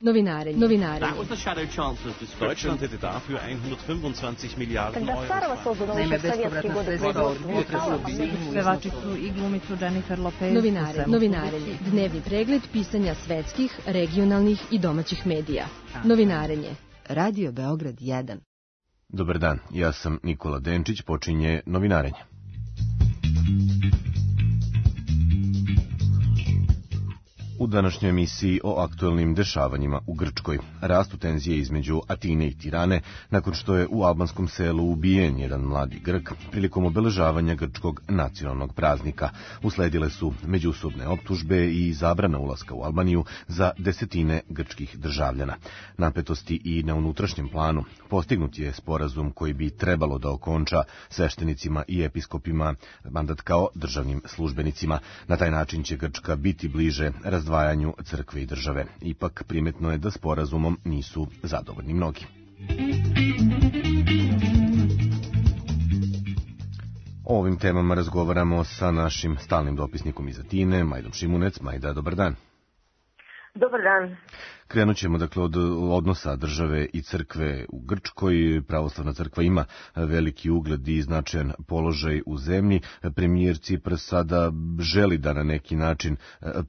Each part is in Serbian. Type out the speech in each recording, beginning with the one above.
Novinarenje. Deutschland hätte dafür 125 Miliarden Euro. Naime, bespovratna sredstva od budžeta su obezbeđena pevačicu i glumicu Jennifer Lopez. Novinarenje. Dnevni pregled pisanja svetskih, regionalnih i domaćih medija. Novinarenje. Radio Beograd 1. Dobar dan, ja sam Nikola Denčić, počinje Novinarenje. U današnjoj emisiji o aktuelnim dešavanjima u Grčkoj. Rastu tenzije između Atine i Tirane nakon što je u albanskom selu ubijen jedan mladi Grk prilikom obeležavanja grčkog nacionalnog praznika. Usledile su međusobne optužbe i zabrana ulaska u Albaniju za desetine grčkih državljana. Napetosti i na unutrašnjem planu. Postignut je sporazum koji bi trebalo da okonča sveštenicima i episkopima mandat kao državnim službenicima. Na taj način će Grčka biti bliže razdvajanju crkve i države. Ipak primetno je da sporazumom nisu zadovoljni mnogi. O ovim temama razgovaramo sa našim stalnim dopisnikom iz Atine, Majdom Šimunec. Majda, dobar dan. Dobar dan. Krenut ćemo dakle od odnosa države i crkve u Grčkoj. Pravoslavna crkva ima veliki ugled i značajan položaj u zemlji. Premijer Cipras sada želi da na neki način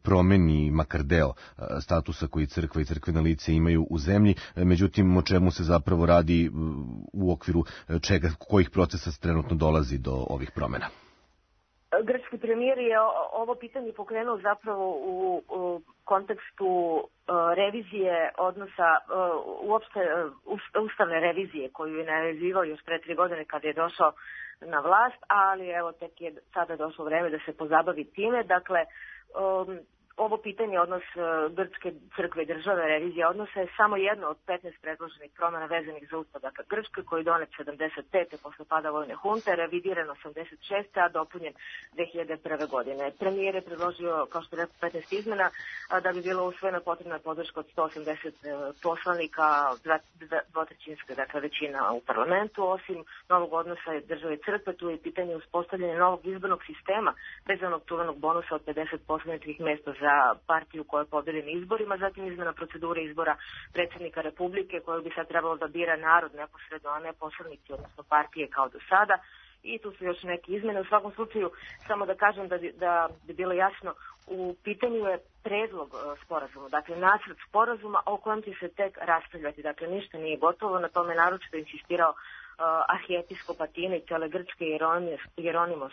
promeni makar deo statusa koji crkva i crkvena lice imaju u zemlji. Međutim, o čemu se zapravo radi u okviru čega, kojih procesa trenutno dolazi do ovih promjena? Grčki premijer je ovo pitanje pokrenuo zapravo u kontekstu revizije odnosa, uopšte ustavne revizije koju je najavljivao još pre 3 godine kada je došao na vlast, ali evo tek je sada došlo vreme da se pozabavi time. Dakle, ovo pitanje odnos Grčke crkve i države, revizija odnosa je samo jedno od 15 predloženih promjena vezanih za ustav Grčke koji je donet 75. posle pada vojne hunte, revidiran 86. a dopunjen 2001. godine. Premijer je predložio, kao što je rekao, 15 izmena, da bi bilo usvojena potrebna podrška od 180 poslanika, dvotrećinska dakle većina u parlamentu. Osim novog odnosa države i crkve, tu je pitanje uspostavljanja novog izbornog sistema bez onog čuvenog bonusa od 50 poslaničkih mesta za partiju koja je pobedi na izborima, zatim izmena procedure izbora predsjednika Republike koju bi sad trebalo da bira narod neposredno, a ne poslanici, odnosno partije kao do sada. I tu su još neke izmene. U svakom slučaju, samo da kažem da bi bilo jasno, u pitanju je predlog sporazuma, dakle nacrt sporazuma o kojem će se tek raspravljati. Dakle, ništa nije gotovo, na tome naročito insistirao arhijepiskop Atine i cele Grčke Jeronimos,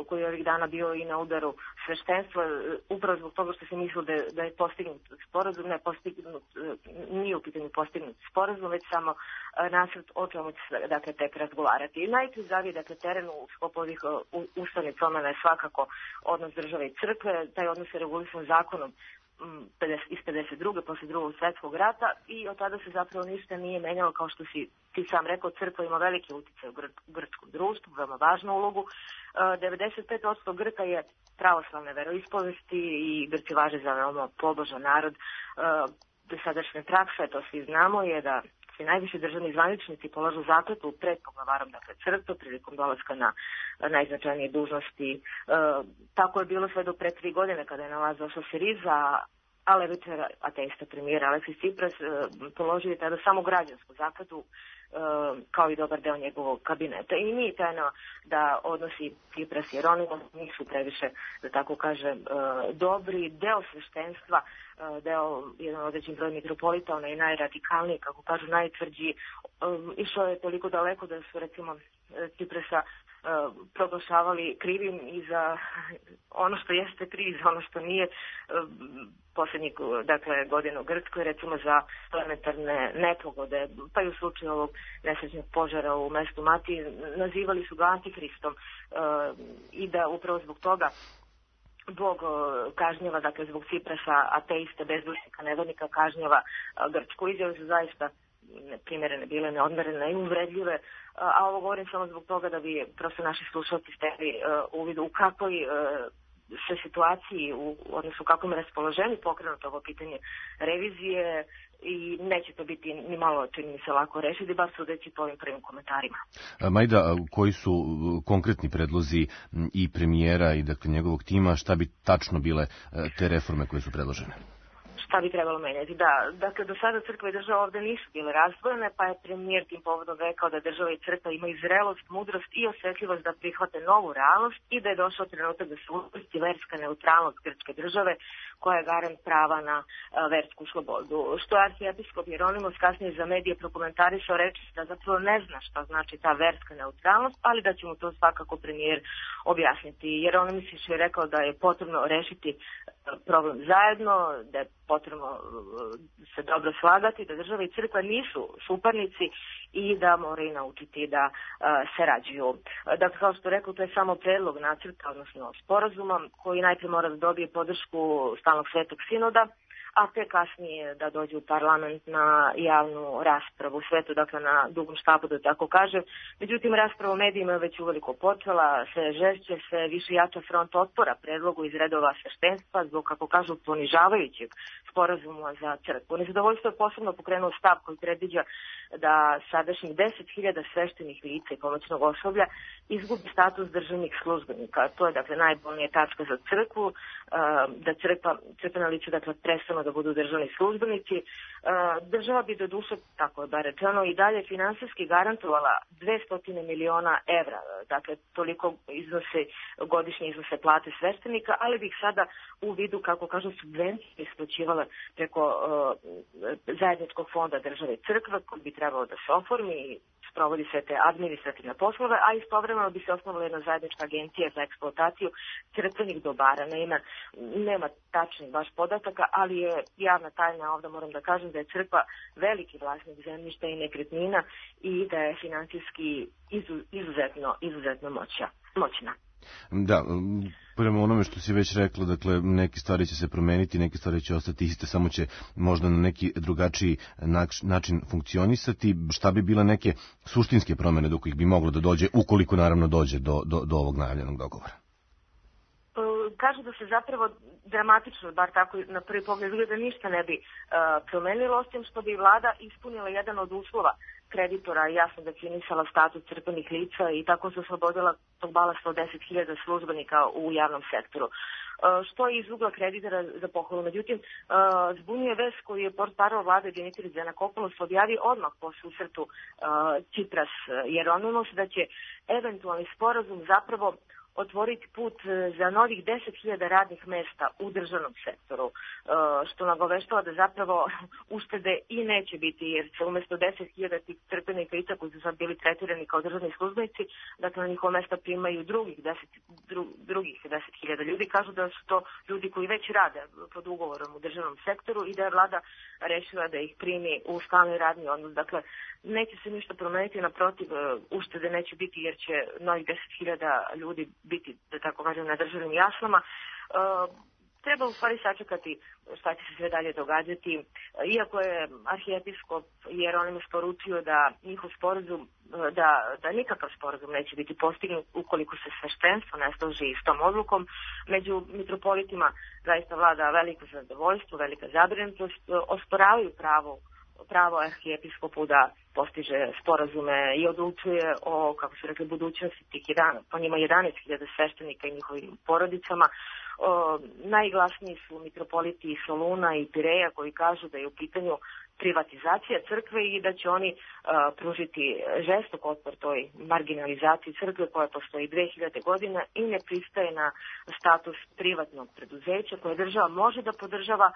koji je ovih dana bio i na udaru sveštenstva, upravo zbog toga što se mislilo da je postignut sporazum, nije u pitanju postignut sporazum, već samo nacrt o čemu će se dakle tek razgovarati. I najključaviji dakle teren u sklopu ovih ustavnih promjena je svakako odnos države i crkve. Taj odnos je regulisan zakonom iz 52. posle drugog svjetskog rata i od tada se zapravo ništa nije menjalo. Kao što si ti sam rekao, crkva ima veliki utjecaj u grčkom društvu, veoma važnu ulogu. 95% Grka je pravoslavne veroispovesti i Grci važe za veoma pobožan narod. Dosadašnja praksa, to svi znamo, je da se najviši državni zvaničnici polažu zakletvu pred poglavarom, dakle crkve, prilikom dolaska na najznačajnije dužnosti. Tako je bilo sve do pre 3 godine kada je na vlast došla Siriza, a levičar ateista premijer Aleksis Cipras položio je tada samo građansku zakletvu kao i dobar deo njegovog kabineta. I nije tajno da odnosi Cipras i Jeronimos nisu previše, da tako kažem, dobri. Deo sveštenstva, jedan određen broj mitropolita, onaj najradikalniji, kako kažu, najtvrđi, išao je toliko daleko da su recimo Ciprasa proglašavali krivim i za ono što jeste kriv, za ono što nije. Posljednjih godina u Grčkoj, recimo za elementarne nepogode, pa i u slučaju ovog nesrećnog požara u mestu Mati, nazivali su ga antikristom i da upravo zbog toga Bog kažnjava, dakle zbog Ciprasa, ateiste, bezdušnika, nevernika, kažnjava Grčku. Izjave su zaista neprimjerene, bile neodmerene i uvredljive, a ovo govorim samo zbog toga da bi prosto naši slušalci stekli uvid u kakvoj se situaciji, odnosno u kakvom raspoloženju pokrenuto ovo pitanje revizije i neće to biti ni malo, čini mi se, lako rešiti, bar sudeći po ovim prvim komentarima. Majda, koji su konkretni predlozi i premijera i dakle njegovog tima, šta bi tačno bile te reforme koje su predložene? šta bi trebalo menjati. Da, dakle, do sada crkva i država ovde nisu bile razdvojene, pa je premijer tim povodom rekao da država i crkva imaju zrelost, mudrost i osjetljivost da prihvate novu realnost i da je došao trenutak da se uvrsti verska neutralnost grčke države koja je garant prava na versku slobodu. Što je arhijepiskop Jeronimos kasnije za medije prokomentarisao, reči da zapravo ne zna šta znači ta verska neutralnost, ali da će mu to svakako premijer objasniti. Jeronimos je rekao da je potrebno rešiti problem zajedno, da je potrebno se dobro slagati, da država i crkva nisu suparnici i da moraju naučiti da sarađuju. Dakle, kao što rekao, to je samo predlog nacrta, odnosno sporazuma, koji najprije mora da dobije podršku stalnog svetog sinoda, a te kasnije da dođe u parlament na javnu raspravu u svetu, dakle na dugom štapu, da tako kažem. Međutim, rasprava u medijima je već uveliko počela, sve žešće, sve više jača front otpora predlogu iz redova sveštenstva zbog, kako kažu, ponižavajućeg sporazuma za crkvu. Nezadovoljstvo je posebno pokrenuo stav koji predviđa da sadašnjih 10.000 sveštenih lica i pomoćnog osoblja izgubi status državnih službenika. To je, dakle, najbolnija tačka za crkvu, da crkvena lica, dakle, prestanu da budu državni službenici. Država bi do duše, tako je bar rečeno, i dalje finansijski garantovala 200 miliona evra, dakle toliko godišnje iznose plate sveštenika, ali bi ih sada u vidu, kako kažu, subvencije isplaćivala preko zajedničkog fonda države i crkve, koji bi trebalo da se oformi i sprovodi sve te administrativne poslove, a istovremeno bi se osnovala jedna zajednička agencija za eksploataciju crkvenih dobara. Nema tačnih baš podataka, ali je javna tajna, ovdje moram da kažem da je crkva veliki vlasnik zemljišta i nekretnina i da je finansijski izuzetno moćna. Da, prema onome što si već rekla, dakle, neke stvari će se promeniti, neke stvari će ostati iste, samo će možda na neki drugačiji način funkcionisati. Šta bi bile neke suštinske promene do kojih bi moglo da dođe, ukoliko naravno dođe do ovog najavljenog dogovora? Kažu da se zapravo dramatično, bar tako na prvi pogled da ništa ne bi promenilo, osim što bi vlada ispunila jedan od uslova kreditora, jasno definisala status crkvenih lica i tako se oslobodila tog balasta od 10.000 službenika u javnom sektoru. Što je iz ugla kreditora za pohvalu. Međutim, zbunjuje vest koju je portparol vlade Dimitris Giannakopoulos objavio odmah po susretu Tsipras Jeronimos, da će eventualni sporazum zapravo otvoriti put za novih 10.000 radnih mesta u državnom sektoru, što nagoveštava da zapravo uštede i neće biti, jer se umjesto 10.000 tih crkvenih lica koji su sad bili tretirani kao državni službenici, dakle na njihova mesta primaju drugih 10.000 ljudi. Kažu da su to ljudi koji već rade pod ugovorom u državnom sektoru i da je vlada rešila da ih primi u stalni radni odnos. Dakle, neće se ništa promeniti, naprotiv, uštede neće biti jer će novih 10.000 ljudi biti, da tako kažem, na državnim jaslama. Treba u stvari sačekati šta će se sve dalje događati. Iako je arhijepiskop Jeronimos poručio da njihov sporazum, da nikakav sporazum neće biti postignut ukoliko se sveštenstvo ne složi s tom odlukom, među mitropolitima zaista vlada veliko zadovoljstvo, velika zabrinutost, osporavaju pravo arhijepiskopu da postiže sporazume i odlučuje o, kako su rekli, budućnosti tih 11.000 sveštenika i njihovim porodicama. Najglasniji su mitropoliti iz Soluna i Pireja koji kažu da je u pitanju privatizacija crkve i da će oni pružiti žestok otpor toj marginalizaciji crkve koja postoji 2000 godina i ne pristaje na status privatnog preduzeća koje država može da podržava,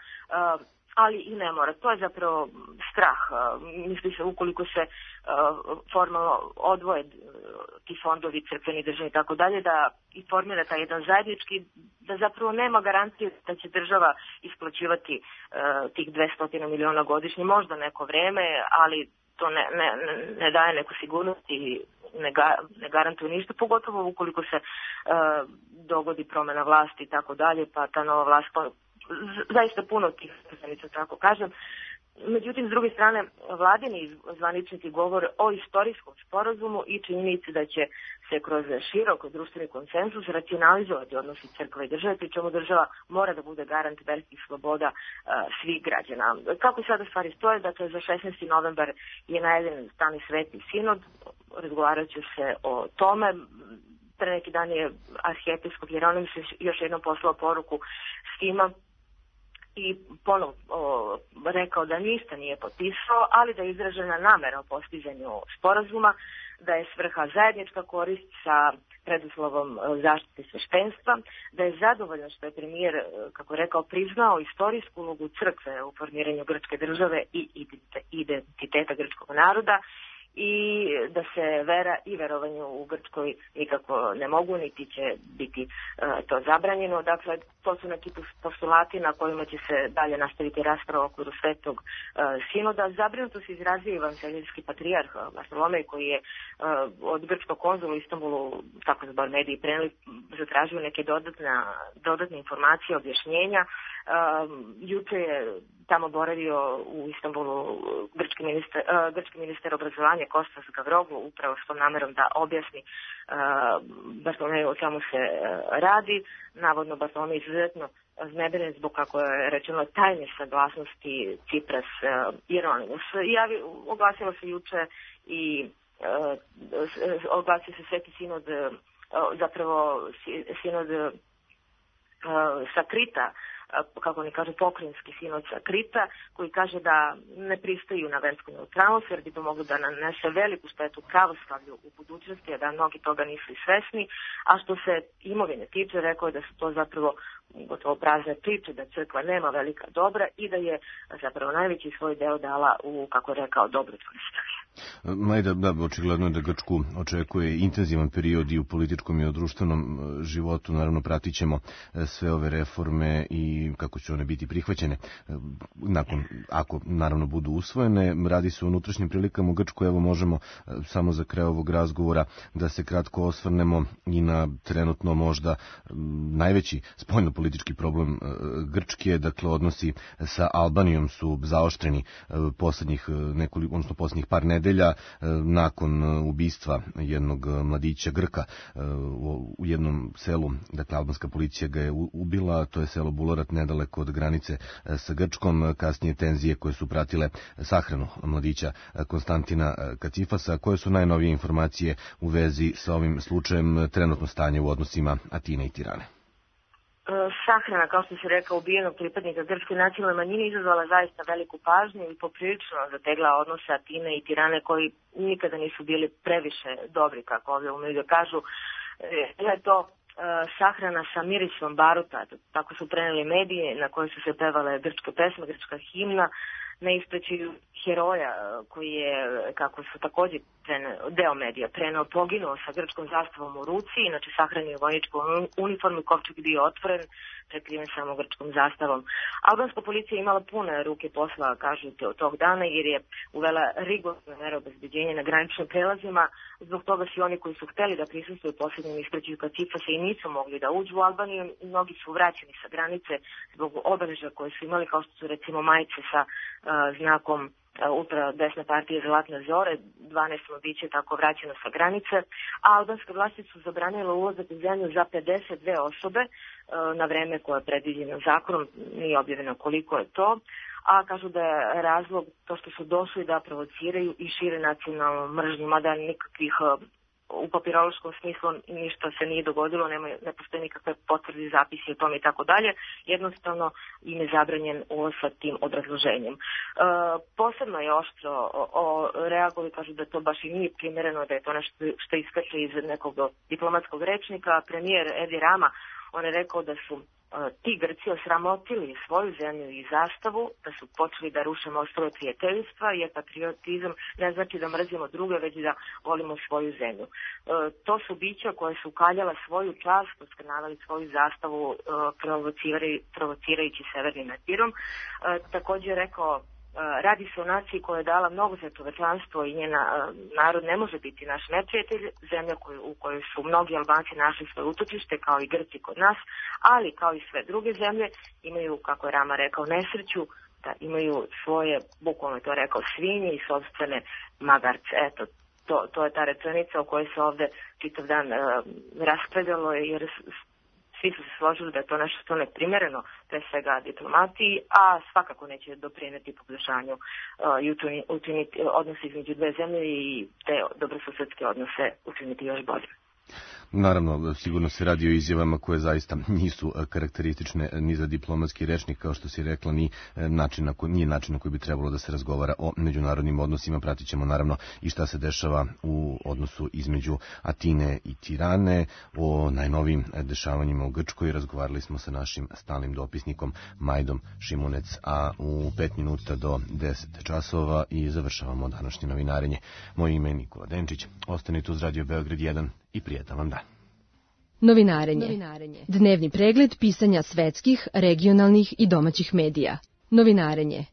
ali i ne mora. To je zapravo strah. Misli se ukoliko se formalno odvoje ti fondovi, crkveni, državni i tako dalje, da i formira taj jedan zajednički, da zapravo nema garancije da će država isplaćivati tih 200 miliona godišnje, možda neko vreme, ali to ne daje neku sigurnost i ne garantuje ništa, pogotovo ukoliko se dogodi promena vlasti i tako dalje, pa ta nova vlast zaista puno tih posledica, tako kažem. Međutim, s druge strane, vladini zvaničnici govore o istorijskom sporazumu i činjenici da će se kroz širok društveni konsenzus racionalizovati odnosi crkve i države, pri čemu država mora da bude garant verskih sloboda svih građana. Kako sada stvari stoje? Dakle, za 16. novembar je najavljen stalni sveti sinod, razgovarat će se o tome. Pre neki dan je arhijepiskop Jeronimos još jednom poslao poruku svima i ponovo rekao da ništa nije potpisao, ali da je izražena namera o postizanju sporazuma, da je svrha zajednička korist sa preduslovom zaštite sveštenstva, da je zadovoljno što je premijer, kako je rekao, priznao istorijsku ulogu crkve u formiranju grčke države i identiteta grčkog naroda, i da se vera i verovanje u Grčkoj nikako ne mogu, niti će biti to zabranjeno. Dakle, to su neki postulati na kojima će se dalje nastaviti rasprava u okviru Svetog sinoda. Zabrinuto se izrazio evanđeljski patrijarh Bartolomej, koji je od grčkog konzula u Istanbulu, tako se bar mediji preneli, zatražio neke dodatne informacije, objašnjenja. Juče je tamo boravio u Istanbulu grčki ministar obrazovanja Kostas Gavroglu, upravo s tom namerom da objasni Bartolomeju o čemu se radi. Navodno Bartolomej izuzetno zneberen zbog, kako je rečeno, tajne saglasnosti Cipras-Ieronimus. Oglasilo se juče i oglasio se Sveti sinod, zapravo sinod sa Krita, kako oni kažu, pokrinjski sinod sa Krita, koji kaže da ne pristaju na versku neutralnost, jer bi to moglo da nanese veliku štetu pravoslavlju u budućnosti, a da mnogi toga nisu i svesni. A što se imovine tiče, rekao je da su to zapravo gotovo prazne priče, da crkva nema velika dobra i da je zapravo najveći svoj deo dala u, kako je rekao, dobrotvorne svrhe. Majda, da, očigledno je da Grčku očekuje intenzivan period i u političkom i u društvenom životu. Naravno, pratit ćemo sve ove reforme i kako će one biti prihvaćene ako naravno budu usvojene. Radi se o unutrašnjim prilikama u Grčkoj. Evo, možemo samo za kraj ovog razgovora da se kratko osvrnemo i na trenutno možda najveći spoljnopolitički problem Grčke. Dakle, odnosi sa Albanijom su zaoštreni poslednjih par nedelja nakon ubistva jednog mladića Grka u jednom selu. Dakle, albanska policija ga je ubila, to je selo Bulorat, nedaleko od granice sa Grčkom. Kasnije tenzije koje su pratile sahranu mladića Konstantina Kacifasa. Koje su najnovije informacije u vezi sa ovim slučajem, trenutno stanje u odnosima Atine i Tirane? Sahrana, kao što se rekao, ubijenog pripadnika grčke nacionalne manjine izazvala zaista veliku pažnju i poprilično zategla odnose Atine i Tirane, koji nikada nisu bili previše dobri, kako ovdje umeju da kažu. Je to sahrana sa mirisom baruta, tako su preneli mediji, na kojoj su se pevale grčke pesme, grčka himna, na ispraćaju heroja koji je, kako su također deo medija preneo, poginuo sa grčkom zastavom u ruci, inače sahranio u vojničku uniformu, kovčeg bio otvoren, prekriven samo grčkom zastavom. Albanska policija je imala pune ruke posla, kažu, tog dana, jer je uvela rigorozne mere obezbeđenja na graničnim prelazima. Zbog toga svi oni koji su hteli da prisustvuju posljednjem ispraćaju Kacifasa i nisu mogli da uđu u Albaniju, mnogi su vraćeni sa granice zbog obeležja koje su imali, kao što su recimo majice sa znakom ultra desne partije Zlatne zore, 12 mladića je tako vraćeno sa granice, a albanske vlasti su zabranile ulazak u zemlju za 52 osobe na vreme koje je predviđeno zakonom, nije objavljeno koliko je to, a kažu da je razlog to što su došli da provociraju i šire nacionalnu mržnju, mada nikakvih u papirološkom smislu ništa se nije dogodilo, ne postoje nikakve potvrde, zapisi o tome i tako dalje. Jednostavno im je zabranjen ulaz sa tim obrazloženjem. Posebno je oštro reagovali, kažu da to baš i nije primjereno, da je to nešto što iskače iz nekog diplomatskog rečnika. Premijer Edi Rama, on je rekao da su ti Grci osramotili svoju zemlju i zastavu, da su počeli da ruše mostove prijateljstva, jer patriotizam ne znači da mrzimo druge, već da volimo svoju zemlju. To su bića koje su ukaljala svoju čast, oskrnavali svoju zastavu, provocirajući severnim etirom. Također je rekao, radi se o naciji koja je dala mnogo za čovečanstvo i njena narod ne može biti naš neprijatelj, zemlja u kojoj su mnogi Albanci našli svoje utočište, kao i Grci kod nas, ali kao i sve druge zemlje imaju, kako je Rama rekao, nesreću da imaju svoje, bukvalno to rekao, svinje i sopstvene magarce. Eto, to je ta rečenica o kojoj se ovde čitav dan raspravljalo, jer svi su se složili da je to nešto što neprimjereno, pre svega diplomatiji, a svakako neće doprineti poboljšanju i učiniti odnose između dve zemlje i te dobrosusedske odnose učiniti još bolje. Naravno, sigurno se radi o izjavama koje zaista nisu karakteristične ni za diplomatski rečnik, kao što si rekla, nije način na koji bi trebalo da se razgovara o međunarodnim odnosima. Pratit ćemo naravno i šta se dešava u odnosu između Atine i Tirane, o najnovijim dešavanjima u Grčkoj. Razgovarali smo sa našim stalnim dopisnikom Majdom Šimunec, a u 5 minuta do 10 časova i završavamo današnje novinarenje. Moje ime je Nikola Denčić. Ostanite uz Radio Beograd 1 i prijetan vam dan. Novinarenje. Dnevni pregled pisanja svetskih, regionalnih i domaćih medija. Novinarenje.